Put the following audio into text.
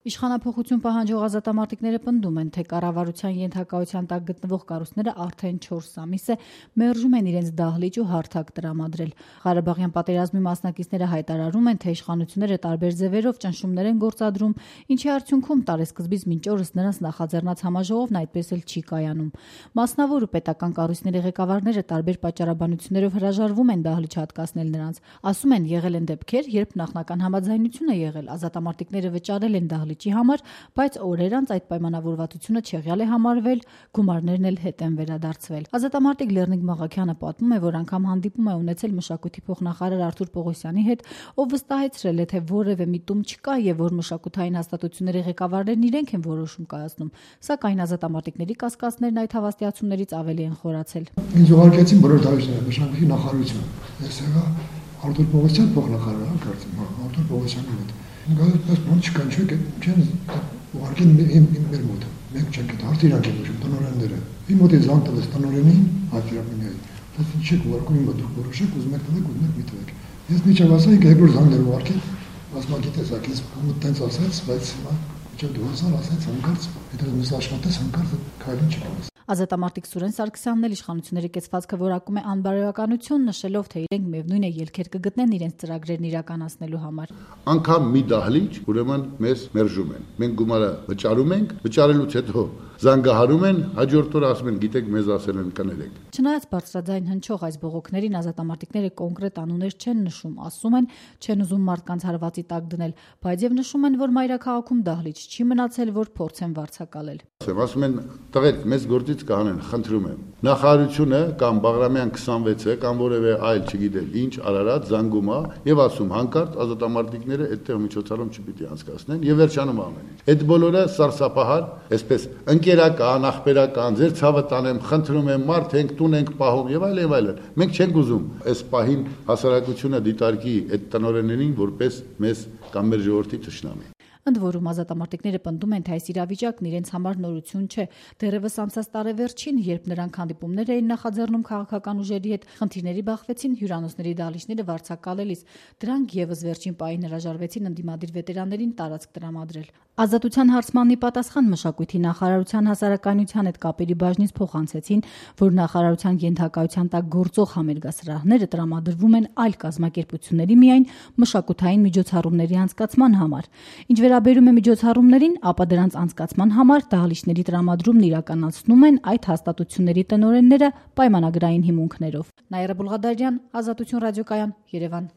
Իշխանափոխություն պահանջող ազատամարտիկները պնդում են, թե կառավարության ենթակայության տակ գտնվող կառույցները արդեն 4 ամիս է մերժում են իրենց դահլիճ ու հարթակ տրամադրել։ Ղարաբաղյան պատերազմի մասնակիցները հայտարարում են, թե իշխանությունները տարբեր ձևերով ճնշումներ են գործադրում, ինչի արդյունքում տարեսկզբից մինչ օրս նրանց նախաձեռնած համաժողովն այդպես էլ չի կայանում։ Մասնավոր ու պետական կառույցների ղեկավարները տարբեր պատճառաբանություններով հրաժարվում են դահլիճ հատկացնել նրանց։ Ասում են, եղել են դեպքեր, երբ նախնական համաձայնություն է եղել, ազատամարտիկները վճարել են դահլիճի համար, բայց օրեր անց այդ պայմանավորվածությունը չեղյալ է համարվել, գումարներն էլ հետ են վերադարձվել։ Ազատամարտիկ Լեռնիկ Մաղաքյանը պատմում է, որ անգամ հանդիպում է ունեցել մշակույթի փոխնախարար Արթուր Պողոսյանի հետ, ով վստահեցրել է, թե որևէ միտում չկա եւ որ մշակութային հաստատությունների ղեկավարներն իրենք են որոշում կայացնում, սակայն ազատամարտիկների կասկածներն այդ հավաստիացումներից ավելի են խորացել։ Ինձ ուղարկեցին բոլոր դահլիճները մշակույթի նախարարություն։ Ես եղա Արթուր Պողոսյան փոխնախարար, կարծեմ, Արթուր Պողոսյանի հետ։ Գալիս բան չկան, չեն ուղարկեն մեր մոտ։ Մենք չենք այդ հարցիրանք են ուշում տնօրենները։ Իմ մոտ է զանգ տվեց տնօրենին, հարցիրանքին։ Բայց չեք ուղարկում իմ մոտ, դուք որոշեք, ուզում եք տվեք, ուզում եք մի տվեք։ Ես միջավ ասայի, երկրորդ զանգներ ուղարկեն, ասում գիտես, ակես ում տենց ասաց, բայց հիմա միջավ դու ասաց հանկարծ, հետո ես աշխատես հանկարծ քայլին չկաս։ Ազատամարտիկ Սուրեն Սարգսյանն էլ իշխանությունների կեցվածքը որակում է անբարոյականություն, նշելով, թե իրենք միևնույն է ելքեր կգտնեն իրենց ծրագրերն իրականացնելու համար։ Անկամ մի դահլիճ, ուրեմն մեզ մերժում են։ Մենք գումարը վճարում ենք, վճարելուց հետո զանգահարում են, հաջորդ օրը ասում են, գիտեք, մեզ ասել են կներեք։ Չնայած բարձրաձայն հնչող այս բողոքներին ազատամարտիկները կոնկրետ անուններ չեն նշում, ասում են, չեն ուզում մարդկանց հարվածի տակ դնել, բայց եւ նշում են, որ մայրաքաղաքում դահլիճ չի մնացել, որ փորձեն վարձակալել։ Ասում են, տղեր, մեզ գործից կանեն, խնդրում եմ։ Նախարարությունը կամ Բաղրամյան 26-ը կամ որևէ այլ, չգիտեմ, ինչ Արարատ զանգում է եւ ասում հանկարծ ազատամարտիկները այդտեղ միջոցառում չպիտի անցկացնեն եւ վերջանում ամեն ինչ։ Այդ բոլորը սարսափահար, այսպես ընկերական, ախպերական, ձեր ցավը տանեմ, խնդրում եմ, մարդ ենք, տուն ենք պահում եւ այլն եւ այլն։ Մենք չենք ուզում այս պահին հասարակությունը դիտարկի այդ տնօրեններին որպես մեզ կամ մեր ժողովրդի թշնամի։ Ընդ որում ազատամարտիկները պնդում են, թե այս իրավիճակն իրենց համար նորություն չէ։ Դեռևս անցած տարեվերջին, երբ նրանք հանդիպումներ էին նախաձեռնում քաղաքական ուժերի հետ, խնդիրների բախվեցին հյուրանոցների դահլիճները վարձակալելիս։ Դրանք եւս վերջին պահին հրաժարվեցին ընդդիմադիր վետերաններին տարածք տրամադրել։ Ազատության հարցմանի պատասխան մշակույթի նախարարության հասարակայնության հետ կապերի բաժնից փոխանցեցին, որ նախարարության ենթակայության տակ գործող համերգասրահները տրամադրվում են այլ կազմակերպությունների միայն մշակութային միջոցառումների անցկացման համար։ Ինչ վերաբերում է միջոցառումներին, ապա դրանց անցկացման համար դահլիճների տրամադրումն իրականացնում են այդ հաստատությունների տնօրենները պայմանագրային հիմունքներով։ Նաիրա Բուլղադարյան, Ազատություն ռադիոկայան, Երևան։